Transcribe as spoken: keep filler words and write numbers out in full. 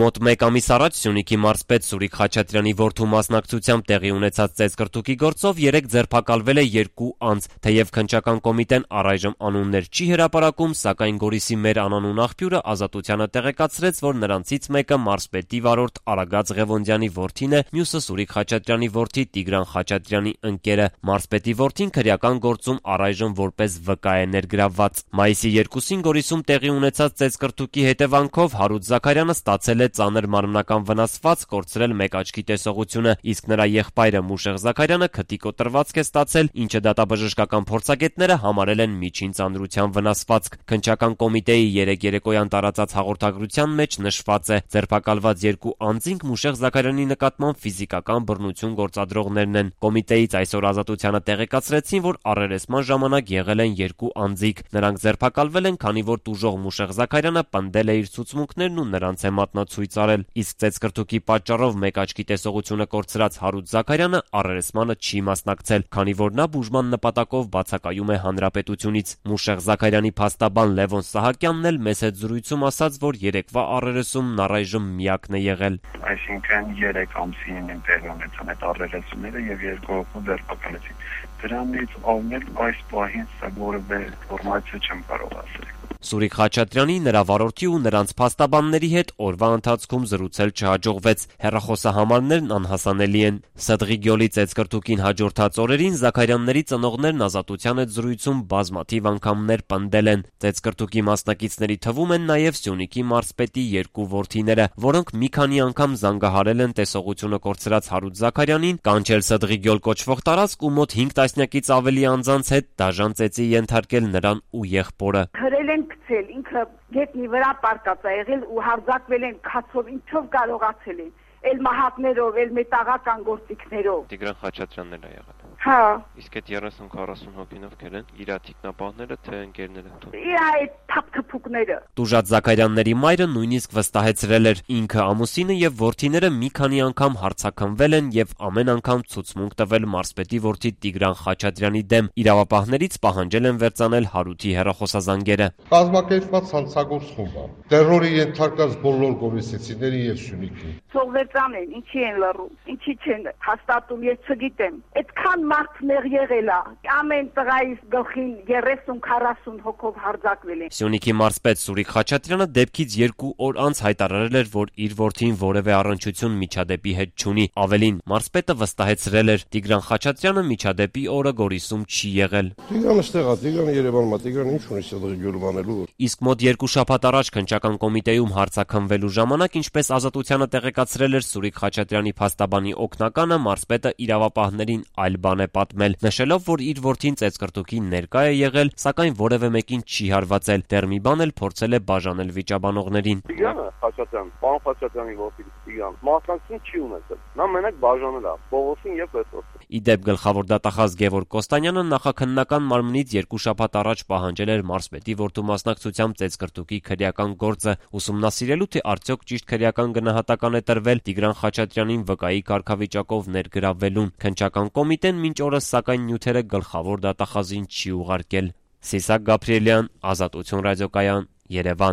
Մոտ մեկ ամիս առաջ Սյունիքի մարզպետ Սուրիկ Խաչատրյանի որդու մասնակցությամբ տեղի ունեցած ծեծկռտուքի գործով երեկ ձերբակալվել է երկու անձ, թեև քննչական կոմիտեն առայժմ անուններ չի հրապարակում, սակայն Գորիսի մեր անանուն աղբյուրը Ազատությանը տեղեկացրեց, որ նրանցից մեկը մարզպետի վարորդ Արագած Ղևոնդյանի որդին է, մյուսը Սուրիկ Խաչատրյանի որդի Տիգրան Խաչատրյանի ընկերը։ Մարզպետի որդին քրեական գործում առայժմ որպես վկա է ներգրավված։ Մայիսի երկուսին Գորիսում տեղի ունեցած ծեծկռտուքի հետևանքով Հարութ Զաքարյանը ստացել է ծանր մարմնական վնասվածք, կորցրել մեկ աչքի տեսողությունը, իսկ նրա եղբայրը Մուշեղ Զաքարյանը քթի կոտրվածք է ստացել, ինչը դատաբժշկական փորձագետները համարել են միջին ծանրության վնասվածք։ Քննչական կոմիտեի երեկ երեկոյան տարածած հաղորդագրության մեջ նշված է. ձերբակալված երկու անձինք Մուշեղ Զաքարյանի նկատմամբ ֆիզիկական բռնություն գործադրողներն են։ Կոմիտեից այսօր Ազատությանը տեղեկացրեցին, որ առերեսման ժամանակ եղել են երկու անձիկ։ Նրանք ձերբակալվել են, քանի որ տուժող Մուշեղ Զաքարյանը պնդել է իր ցուցմունքներն ու նրանց է մատնացույց արել, իսկ ծեծկռտուքի պատճառով մեկ աչքի տեսողությունը կորցրած Հարութ Զաքարյանը առերեսմանը չի մասնակցել, քանի որ նա բուժման նպատակով բացակայում է հանրապետությունից։ Մուշեղ Զաքարյանի փաստաբան Լևոն Սահակյանն էլ մեծ հետ զրույցում ասաց, որ երեկվա առերեսումն առայժմ միակն է եղել։ Այսինքն երեք ամսին են տեղի ունեցան այդ առերեսումները եւ երկու հոգու ձերբակալեցին։ Դրանից ավնել այս պահին սա որևէ ինֆորմացիա չեմ կարող ասել։ Սուրիկ Խաչատրյանի, նրա վարորդի ու նրանց փաստաբանների հետ օրվա ընթացքում զրուցել չհաջողվեց։ Հեռախոսահամարներն անհասանելի են։ Սդղի գյոլի ծեծկռտուքին հաջորդած օրերին Զաքարյանների ծնողներն Ազատության հետ զրույցում բազմաթիվ անգամներ պնդել են։ Ծեծկռտուքի մասնակիցների թվում են նաև Սյունիքի մարզպետի երկու որդիները, որոնք մի քանի անգամ զանգահարել են տեսողությունը կորցրած Հարութ Զաքարյանին, կանչել Սդղի գյոլ կոչվող տարածք ու մոտ հինգ տասնյակից ավելի անձանց հետ դաժան ծեծի ենթարկել նրան ու եղբորը։ Գցել, ինքը գետնի վրա պարկած է եղել ու հարձակվել են քացով, ինչով կարողացել են, էլ մահակներով, էլ մետաղական գործիքներով։ Տիգրան Խաչատրյանն էլ է եղել։ Հա։ Իսկ այդ երեսուն քառասուն հոգինով կել են իր թիկնապահները, թե ընկերները։ Իր այդ թափթփուկները։ Տուժած Զաքարյանների մայրը նույնիսկ վստահեցրել էր, ինքը ամուսինը եւ որդիները մի քանի անգամ հարցաքնվել են եւ ամեն անգամ ցուցմունք տվել մարզպետի որդի Տիգրան Խաչատրյանի դեմ։ Իրավապահներից պահանջել են վերցանել Հարութի հեռախոսազանգերը։ Կազմակերպված հանցագործ խումբ է։ Տերորի ենթարկած բոլոր գորիսեցիների եւ Սյունիքի։ Սովետան են, ինչի են լռում, ինչի չեն հաստատում, ես չգիտեմ։ Այդքան մարդ մեղ եղել է, ամեն տղայիս գլխին երեսուն քառասուն հոգով հարձակվել են։ Սյունիքի մարզպետ Սուրիկ Խաչատրյանը դեպքից երկու օր անց հայտարարել էր, որ իր որդին որևէ առնչություն միջադեպի հետ չունի։ Ավելին, մարզպետը վստահեցրել էր, Տիգրան Խաչատրյանը միջադեպի օրը Գորիսում չի եղել։ Տիգրանը ստեղ է, Տիգրանը Երևանում է, Տիգրանը ինչ ունի Սդղի գյուղում անելու։ Իսկ մոտ երկու շաբաթ առաջ քննչական կոմիտեում հարցաքննվելու ժամանակ, ինչպես Ազատությանը տեղեկացրել էր Սուրիկ Խաչատրյանի փաստաբանի օգնականը, մարզպետը իրավապահներին այլ բան է պատմել, նշելով, որ իր որդին ծեծկռտուքին ներկա է եղել, սակայն որևէ մեկին չի հարվածել։ Դեռ մի բան էլ փորձել է բաժանել վիճաբանողներին։ Տիգրանը Խաչատրյան, պարոն Խաչատրյանի որդի Տիգրան, մասնակցություն չի ունեցել։ Նա մենակ բաժանել է Պողոսին եւ Պետրոսին։ Ի դեպ գլխավոր դատախազ Գևորգ Կոստանյանը նախաքննական մարմնից երկու շաբաթ առաջ պահանջել էր մարզպետի որդու մասնակցությամբ ծեծկռտուքի քրեական գործը, ուսումնասիրելու թե արդյոք ճիշտ քրեական գնահատական է տրվել Տիգրան Խաչատրյանին վկայի կարգավիճակով ներգրավվելուն։ Քննչական կոմիտեն մինչ օրս սակայն նյութերը գլխավոր դատախազին չի ուղարկել։ Սիսակ Գաբրիելյան, Ազատություն ռադիոկայան, Երևան։